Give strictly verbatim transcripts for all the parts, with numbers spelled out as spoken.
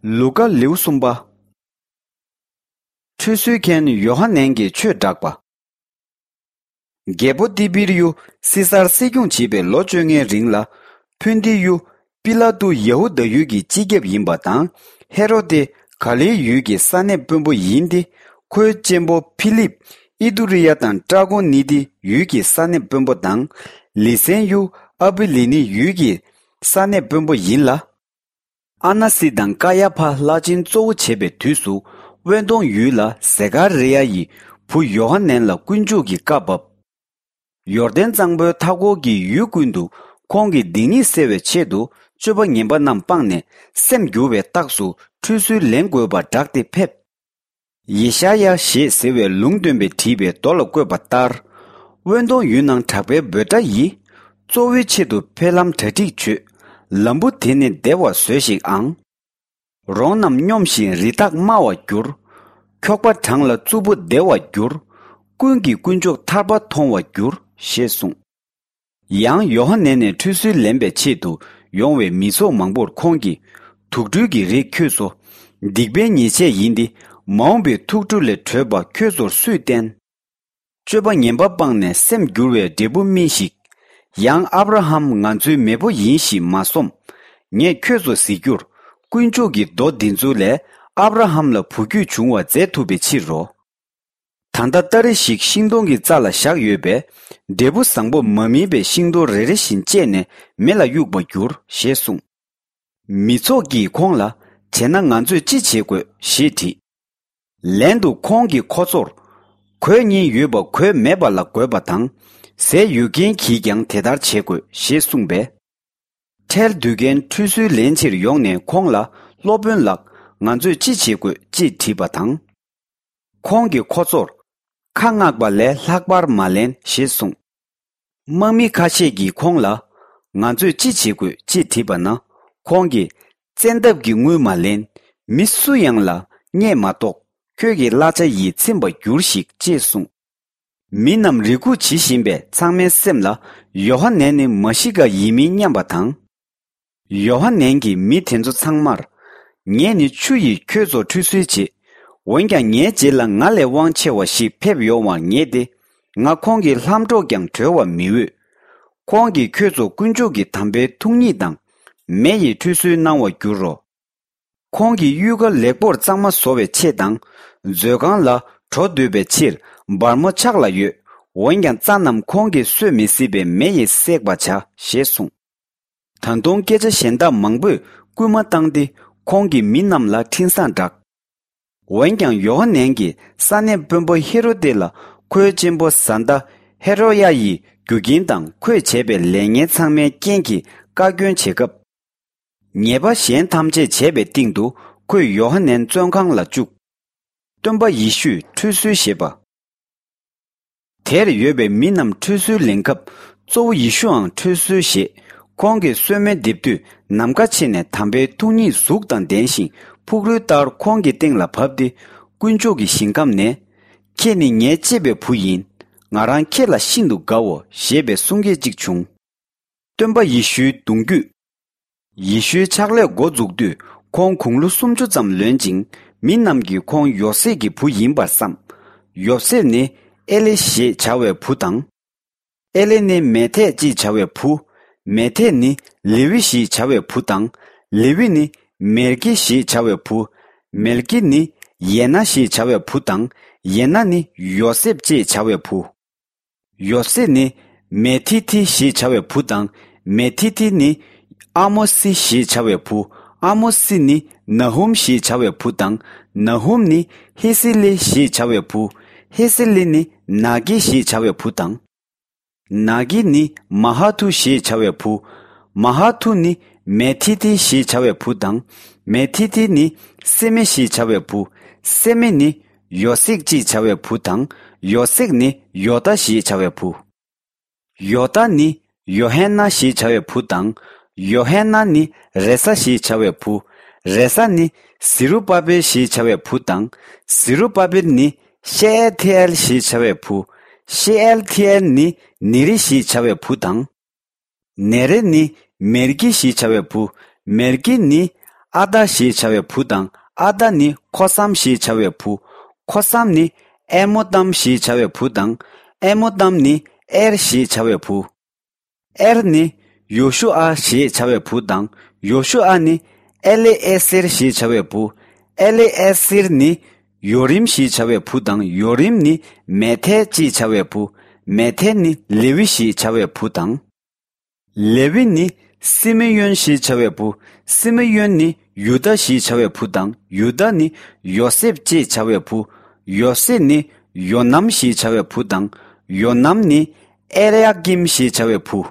ལུ་ཀ། ལེའུ་གསུམ་པ། ཁྲུས་གསོལ་མཁན་ཡོ་ཧ་ནན་གྱིས་ཆོས་བསྒྲགས་པ། རྒྱལ་པོ་ཏི་བིར་ཡུ་སི་སར་སྲིད་སྐྱོང་བྱེད་པའི་ལོ་བཅོ་ལྔའི་རིང་ལ། ཕོན་ཏི་ཡུ་པི་ལ་ཏུ་ཡ་ཧུ་དཱ་ཡུལ་གྱི་སྤྱི་ཁྱབ་ཡིན་པ་དང་། ཧེ་རོ་དེ་ག་ལིལ་ཡུལ་གྱི་ས་གནས་དཔོན་པོ་ཡིན་ཏེ། ཁོའི་གཅེན་པོ་ཕི་ལིབ་ཨི་ཏུ་རི་ཡ་དང་ཏྲ་ཀོན་ནི་ཏི་ཡུལ་གྱི་ས་གནས་དཔོན་པོ་དང་། ལི་སན་ཡུ་ཨ་བི་ལི་ནི་ཡུལ་གྱི་ས་གནས་དཔོན་པོ་ཡིན་ལ། ཨ་ན་སི་དང་ཀ་ཡ་ཕ་བླ་ཆེན་གཙོ་བོ་བྱེད་པའི་དུས་སུ། དབེན་སྟོང་ཡུལ་ལ་ཟེ་ཀ་རི་ཡ་ཡི་བུ་ཡོ་ཧ་ནན་ལ་དཀོན་མཆོག་གིས་བཀའ་བབས། ཡོར་དན་གཙང་པོའི་མཐའ་འཁོར་གྱི་ཡུལ་ཀུན་ཏུ་ཁོང་གི་སྡིག་ཉེས་སེལ་བའི་ཆེད་དུ། སྤྱོད་པ་ངན་པ་རྣམས་སྤངས་ནས་སེམས་བསྒྱུར་བའི་རྟགས་སུ་ཁྲུས་གསོལ་ལེན་དགོས་པར་བསྒྲགས་ཏེ་ཕེབས། ཡེ་ཤ་ཡ་ཞེས་ཟེར་བའི་ལུང་སྟོན་པས་བྲིས་པའི་མདོ་ལ་བཀོད་པ་ལྟར། དབེན་སྟོང་ཡུལ་ནང་དྲག་པོའི་འབོད་སྒྲ་ཡིས། གཙོ་བོའི་ཆེད་དུ་འཕེལ་ལམ་གྲ་སྒྲིག་བྱོས། ལམ་བུ་དེ་ནི་བདེ་བར་བཟོས་ཤིག་ཨང་། རོང་རྣམས་སྙོམས་ཤིང་རི་དྭགས་དམའ་བར་འགྱུར། འཁྱོག་པ་གྲང་ལ་རྩུབ་པོ་བདེ་བར་འགྱུར། ཀུན་གྱིས་དཀོན་མཆོག་ཐར་པ་མཐོང་བར་འགྱུར། ཞེས་གསུངས། ཡང་ཡོ་ཧ་ནན་ནས་ཁྲུས་གསོལ་ལེན་པའི་ཆེད་དུ་ཡོང་བའི་མི་ཚོགས་མང་པོར་ཁོང་གིས། དུག་སྦྲུལ་གྱི་རིགས་ཁྱོད་ཚོ། སྡིག་པའི་ཉེས་ཆད་ཡིན་ཏེ། མ་འོངས་པའི་ཐུགས་སྤྲོ་ལས་གྲོལ་བ་ཁྱོད་ཚོར་སུས་བསྟན། སྤྱོད་པ་ངན་པ་སྤངས་ནས་སེམས་བསྒྱུར་བའི་འབྲས་བུ་སྨིན་ཞིག། ཡང་ཨབ་ར་ཧམ་ང་ཚོའི་མེས་པོ་ཡིན་ཞེས་མ་སོམས། ངས་ཁྱོད་ཚོ་གཟིགས་རྒྱུར། དཀོན་མཆོག་གིས་མདོ་འདི་ཚོ་ལས་ཨབ་ར་ཧམ་ལ་བུ་རྒྱུད་འབྱུང་བ་མཛད་ཐུབ་པའི་ཕྱིར་རོ། ད་ལྟ་སྟ་རེ་ཞིག་ཤིང་སྡོང་གི་རྩ་ལ་བཞག་ཡོད་པས། འབྲས་བུ་བཟང་པོ་མ་སྨིན་པའི་ཤིང་སྡོང་རེ་རེ་བཞིན་བཅད་ནས་མེ་ལ་གཡུག་པར་འགྱུར། ཞེས་གསུངས། མི་ཚོགས་ཀྱིས་ཁོང་ལ། བྱས་ན་ང་ཚོས་ཅི་བྱེད་དགོས། ཞེས་དྲིས། ལན་དུ་ཁོང་གིས་ཁོ་ཚོར། གོས་གཉིས་ཡོད་པ་གོས་མེད་པ་ལ་བགོས་པ་དང་། ཟས་ཡོད་མཁན་གྱིས་ཀྱང་དེ་ལྟར་བྱེད་དགོས། ཞེས་གསུངས་པས། ཁྲལ་བསྡུ་མཁན་ཁྲུས་གསོལ་ལེན་ཕྱིར་ཡོང་ནས་ཁོང་ལ། སློབ་དཔོན་ལགས། ང་ཚོས་ཅི་བྱེད་དགོས། ཅེས་དྲིས་པ་དང་། ཁོང་གིས་ཁོ་ཚོར། ཁ་མངགས་པ་ལས་ལྷག་པར་མ་ལེན། ཞེས་གསུངས། དམག་མི་ཁ་ཤས་ཀྱིས་ཁོང་ལ། ང་ཚོས་ཅི་བྱེད་དགོས། ཅེས་དྲིས་པ་ན། ཁོང་གིས། བཙན་ཐབས་ཀྱི་དངུལ་མ་ལེན། མི་སུ་ཡང་ལ་བརྙས་མ་གཏོགས། ཁྱོད་ཀྱི་གླ་ཆ་ཡིས་ཚིམ་པར་གྱུར་ཞིག། ཅེས་གསུངས། མི་རྣམས་རེ་སྒུག་བྱེད་བཞིན་པས་ཚང་མའི་སེམས་ལ། ཡོ་ཧ་ནན་ནི་མ་ཤི་ཀ་ཡིན་མིན་སྙམ་པ་དང་། ཡོ་ཧ་ནན་གྱིས་མི་དེ་ཚོ་ཚང་མར། ངས་ནི་ཆུ་ཡིས་ཁྱོད་ཚོ་ཁྲུས་གསོལ་བྱེད། འོན་ཀྱང་ངའི་རྗེས་ལ་ང་ལས་དབང་ཆེ་བ་ཞིག་ཕེབས་ཡོང་བར་ངེས་ཏེ། ང་ཁོང་གི་ལྷམ་སྒྲོག་ཀྱང་གྲོལ་བར་མི་འོས། ཁོང་གིས་ཁྱོད་ཚོ་དཀོན་མཆོག་གི་དམ་པའི་ཐུགས་ཉིད་དང་། མེ་ཡི་ཁྲུས་གསོལ་གནང་བར་འགྱུར་རོ། ཁོང་གིས་གཡུས་ཁ་ལེགས་པོར་གཙང་མ་བཟོ་བའི་ཆེད་དང་། མཛོད་ཁང་ལ་འགྲོ་འདོད་པའི་ཕྱིར་སྦར་མོ་ཕྱག་ལ་ཡོད། འོན་ཀྱང་རྩྭ་རྣམས་ཁོང་གིས་གསོད་མི་སྲིད་པའི་མེ་ཡིས་བསྲེག་པར་བྱ། ཞེས་གསུངས། ད་དུང་སྐད་ཆ་གཞན་དག་མང་པོས་སྐུལ་མ་བཏང་སྟེ། ཁོང་གིས་མི་རྣམས་ལ་འཕྲིན་བཟང་བསྒྲགས། འོན་ཀྱང་ཡོ་ཧ་ནན་གྱིས་ས་གནས་དཔོན་པོ་ཧེ་རོ་ཏེ་ལ་ཁོའི་གཅེན་པོ་བཟའ་ཟླ་ཧེ་རོ་ཡ་ཡི་རྒྱུ་རྐྱེན་དང་ཁོས་བྱས་པའི་ལས་ངན་ཚང་མའི་རྐྱེན་གྱིས་བཀའ་བཀྱོན་བྱེད་སྐབས། ཉེས་པ་གཞན་ཐམས་ཅད་བྱས་པའི་སྟེང་དུ་ཁོས་ཡོ་ཧ་ནན་བཙོན་ཁང་ལ་བཅུག། སྟོན་པ་ཡེ་ཤུས་ཁྲུས་གསོལ་བཞེས་པ། དེར་ཡོད་པའི་མི་རྣམས་ཁྲུས་གསོལ་ལེན་སྐབས། གཙོ་བོ་ཡེ་ཤུའང་ཁྲུས་གསོལ་བཞེས། ཁོང་གིས་གསོལ་སྨན་འདེབས་དུས། ནམ་མཁའ་ཕྱེ་ནས་དམ་པའི་ཐུགས་ཉིད་གཟུགས་དང་ལྡན་ཞིང་། ཕུག་རོན་ལྟར་ཁོང་གི་སྟེང་ལ་བབས་ཏེ། དཀོན་མཆོག་གི་ཞིང་ཁམས་ནས། ཁྱེད་ནི་ངའི་གཅེས་པའི་བུ་ཡིན། ང་རང་ཁྱེད་ལ་ཤིན་ཏུ་དགའ་འོ། ཞེས་པའི་གསུང་སྐད་ཅིག་བྱུང་། སྟོན་པ་ཡེ་ཤུའི་གདུང་རྒྱུད། ཡེ་ཤུའི་ཕྱག་ལས་འགོ་འཛུགས་དུས། ཁོང་དགུང་ལོ་སུམ་ཅུ་ཙམ་ལོན་ཅིང་། མི་རྣམས་ཀྱིས་ཁོང་ཡོ་སེབ་ཀྱི་བུ་ཡིན་པར་བསམ། ཡོ་སེབ་ནི་ཨེ་ལི་ཞེས་བྱ་བའི་བུ་དང་། ཨེ་ལི་ནི་མེ་ཐད་ཅེས་བྱ་བའི་བུ། མེ་ཐད་ནི་ལེ་ཝི་ཞེས་བྱ་བའི་བུ་དང་། ལེ་ཝི་ནི་མེལ་ཀི་ཞེས་བྱ་བའི་བུ། མེལ་ཀི་ནི་ཡེ་ན་ཞེས་བྱ་བའི་བུ་དང་། ཡེ་ན་ནི་ཡོ་སེབ་ཅེས་བྱ་བའི་བུ། ཡོ་སེབ་ནི་མེ་ཐི་ཐི་ཞེས་བྱ་བའི་བུ་དང་། མེ་ཐི་ཐི་ནི་ཨ་མོ་སི་ཞེས་བྱ་བའི་བུ། ཨ་མོ་སི་ནི་ན་ཧུམ་ཞེས་བྱ་བའི་བུ་དང་། ན་ཧུམ་ནི་ཧི་སི་ལི་ཞེས་བྱ་བའི་བུ། ཧི་སི་ལི་ནི་ན་གི་ཞེས་བྱ་བའི་བུ་དང་། ན་གི་ནི་མ་ཧ་ཐུ་ཞེས་བྱ་བའི་བུ། མ་ཧ་ཐུ་ནི་མེ་ཐི་ཐི་ཞེས་བྱ་བའི་བུ་དང་། མེ་ཐི་ཐི་ནི་སེ་མེ་ཞེས་བྱ་བའི་བུ། སེ་མེ་ནི་ཡོ་སེག་ཅེས་བྱ་བའི་བུ་དང་། ཡོ་སེག་ནི་ཡོ་ཏ་ཞེས་བྱ་བའི་བུ། ཡོ་ཏ་ནི་ཡོ་ཧན་ན་ཞེས་བྱ་བའི་བུ་དང་། ཡོ་ཧན་ན་ནི་རེ་ས་ཞེས་བྱ་བའི་བུ། རེ་ས་ནི་ཟི་རུ་པ་བེལ་ཞེས་བྱ་བའི་བུ་དང་། ཟི་རུ་པ་བེལ་ནི་ཤེ་ཨལ་ཐི་ཨེལ་ཞེས་བྱ་བའི་བུ། ཤེ་ཨལ་ཐི་ཨེལ་ནི་ནེ་རི་ཞེས་བྱ་བའི་བུ་དང་། ནེ་རེ་ནི་མེར་ཀི་ཞེས་བྱ་བའི་བུ། མེར་ཀི་ནི་ ཨ་དཱ་ཞེས་བྱ་བའི་བུ་དང་། ཨ་དཱ་ནི་ཁོ་སམ་ཞེས་བྱ་བའི་བུ། ཁོ་སམ་ནི་ཨེ་མོ་ཏམ་ཞེས་བྱ་བའི་བུ་དང་། ཨེ་མོ་ཏམ་ནི་ཨེར་ཞེས་བྱ་བའི་བུ། ཨེར་ནི་ཡོ་ཤུ་ཨ་ཞེས་བྱ་བའི་བུ་དང་། ཡོ་ཤུ་ཨ་ནི་ཨེ་ལེ་ཨེ་སེར་ཞེས་བྱ་བའི་བུ། ཨེ་ལེ་ཨེ་སེར་ནི་ཡོ་རིམ་ཞེས་བྱ་བའི་བུ་དང་། ཡོ་རིམ་ནི་མེ་ཐེ་ཅེས་བྱ་བའི་བུ། མེ་ཐེ་ནི་ལེ་ཝི་ཞེས་བྱ་བའི་བུ་དང་། ལེ་ཝི་ནི་སི་མི་ཡོན་ཞེས་བྱ་བའི་བུ། སི་མི་ཡོན་ནི་ཡུ་དཱ་ཞེས་བྱ་བའི་བུ་དང་། ཡུ་དཱ་ནི་ཡོ་སེབ་ཅེས་བྱ་བའི་བུ། ཡོ་སེབ་ནི་ཡོ་ནམ་ཞེས་བྱ་བའི་བུ་དང་། ཡོ་ནམ་ནི་ཨེ་ལི་ཡ་ཀིམ་ཞེས་བྱ་བའི་བུ།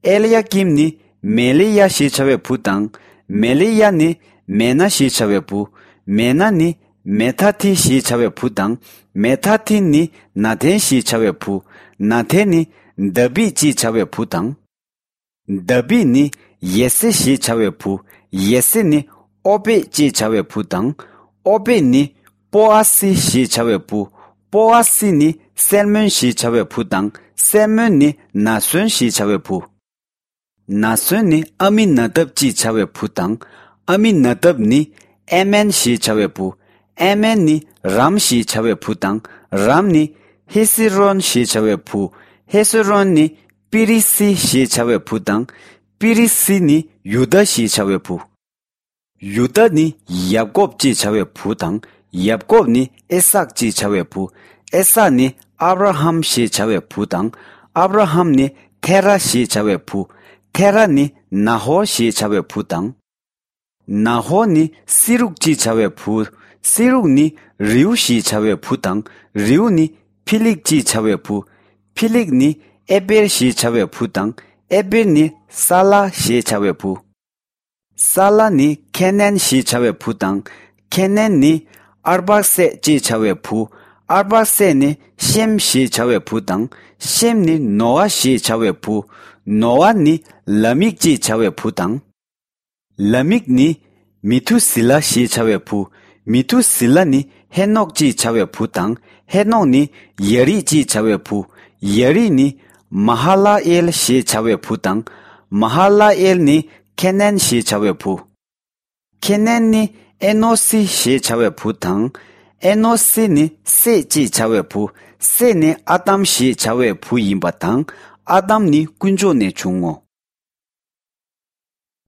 ཨེ་ལི་ཡ་ཀིམ་ནི་མེ་ལི་ཡ་ཞེས་བྱ་བའི་བུ་དང་། མེ་ལི་ཡ་ནི་མེ་ན་ཞེས་བྱ་བའི་བུ། མེ་ན་ནི་མེ་ཐ་ཐི་ཞེས་བྱ་བའི་བུ་དང་། མེ་ཐ་ཐི་ནི་ན་ཐན་ཞེས་བྱ་བའི་བུ། ན་ཐན་ནི་དཱ་བིད་ཅེས་བྱ་བའི་བུ་དང་། དཱ་བིད་ནི་ཡེ་སེ་ཞེས་བྱ་བའི་བུ། ཡེ་སེ་ནི་ཨོ་པེད་ཅེས་བྱ་བའི་བུ་དང་། ཨོ་པེད་ནི་པོ་ཨ་སི་ཞེས་བྱ་བའི་བུ། པོ་ཨ་སི་ནི་སལ་མོན་ཞེས་བྱ་བའི་བུ་དང་། སལ་མོན་ནི་ན་སོན་ཞེས་བྱ་བའི་བུ། ན་སོན་ནི་ཨ་མི་ན་དབ་ཅེས་བྱ་བའི་བུ་དང་། ཨ་མི་ན་དབ་ནི་ཨེ་མན་ཞེས་བྱ་བའི་བུ། ཨེ་མན་ནི་རམ་ཞེས་བྱ་བའི་བུ་དང་། རམ་ནི་ཧེ་སི་རོན་ཞེས་བྱ་བའི་བུ། ཧེ་སི་རོན་ནི་པི་རི་སི་ཞེས་བྱ་བའི་བུ་དང་། པི་རི་སི་ནི་ཡུ་དཱ་ཞེས་བྱ་བའི་བུ། ཡུ་དཱ་ནི་ཡབ་ཀོབ་ཅེས་བྱ་བའི་བུ་དང་། ཡབ་ཀོབ་ནི་ཨི་སཱག་ཅེས་བྱ་བའི་བུ། ཨི་སཱག་ནི་ཨབ་ར་ཧམ་ཞེས་བྱ་བའི་བུ་དང་། ཨབ་ར་ཧམ་ནི་ཐེ་ར་ཞེས་བྱ་བའི་བུ། ཐེ་ར་ནི་ན་ཧོ་ཞེས་བྱ་བའི་བུ་དང་། ན་ཧོ་ནི་སི་རུག་ཅེས་བྱ་བའི་བུ། སི་རུག་ནི་རིའུ་ཞེས་བྱ་བའི་བུ་དང་། རིའུ་ནི་ཕི་ལིག་ཅེས་བྱ་བའི་བུ། ཕི་ལིག་ནི་ཨེ་པེར་ཞེས་བྱ་བའི་བུ་དང་། ཨེ་པེར་ནི་ས་ལ་ཞེས་བྱ་བའི་བུ། ས་ལ་ནི་ཁེ་ནན་ཞེས་བྱ་བའི་བུ་དང་། ཁེ་ནན་ནི་ཨར་པག་སད་ཅེས་བྱ་བའི་བུ། ཨར་པག་སད་ནི་ཤེམ་ཞེས་བྱ་བའི་བུ་དང་། ཤེམ་ནི་ནོ་ཨ་ཞེས་བྱ་བའི་བུ། ནོ་ཨ་ནི་ལ་མིག་ཅེས་བྱ་བའི་བུ་དང་། ལ་མིག་ནི་མི་ཐུ་སི་ལ་ཞེས་བྱ་བའི་བུ། མི་ཐུ་སི་ལ་ནི་ཧེ་ནོག་ཅེས་བྱ་བའི་བུ་དང་། ཧེ་ནོག་ནི་ཡ་རིད་ཅེས་བྱ་བའི་བུ། ཡ་རིད་ནི་མ་ཧ་ལ་ཨེལ་ཞེས་བྱ་བའི་བུ་དང་། མ་ཧ་ལ་ཨེལ་ནི་ཁེ་ནན་ཞེས་བྱ་བའི་བུ། ཁེ་ནན་ནི་ཨེ་ནོ་སི་ཞེས་བྱ་བའི་བུ་དང་། ཨེ་ནོ་སི་ནི་སེད་ཅེས་བྱ་བའི་བུ། སེད་ནི་ཨ་དམ་ཞེས་བྱ་བའི་བུ་ཡིན་པ་དང་། ཨ་དམ་ནི་དཀོན་མཆོག་ནས་བྱུང་ངོ་།